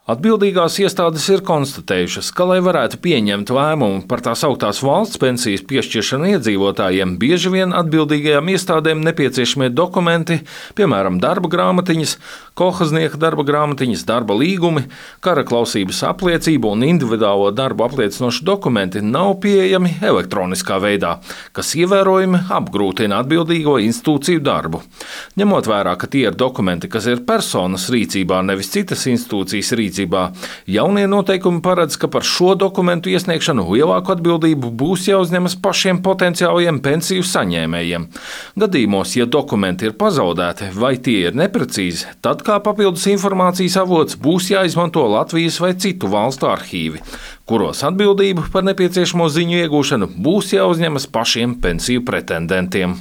Atbildīgās iestādes ir konstatējušas, ka, lai varētu pieņemt lēmumu par tās augtās valsts pensijas piešķiršanu iedzīvotājiem, bieži vien atbildīgajām iestādēm nepieciešamie dokumenti, piemēram, darba grāmatiņas, kolhoznieka darba grāmatiņas, darba līgumi, kara klausības apliecība un individuālo darbu apliecinoši dokumenti nav pieejami elektroniskā veidā, kas ievērojami apgrūtina atbildīgo institūciju darbu. Ņemot vērā, ka tie ir dokumenti, kas ir personas rīcībā, nevis citas institūcijas rīcībā, jaunie noteikumi paredz, ka par šo dokumentu iesniegšanu lielāku atbildību būs jāuzņemas pašiem potenciālajiem pensiju saņēmējiem. Gadījumos, ja dokumenti ir pazaudēti vai tie ir neprecīzi, tad kā papildus informācijas avots būs jāizmanto Latvijas vai citu valstu arhīvi, kuros atbildību par nepieciešamo ziņu iegūšanu būs jāuzņemas pašiem pensiju pretendentiem.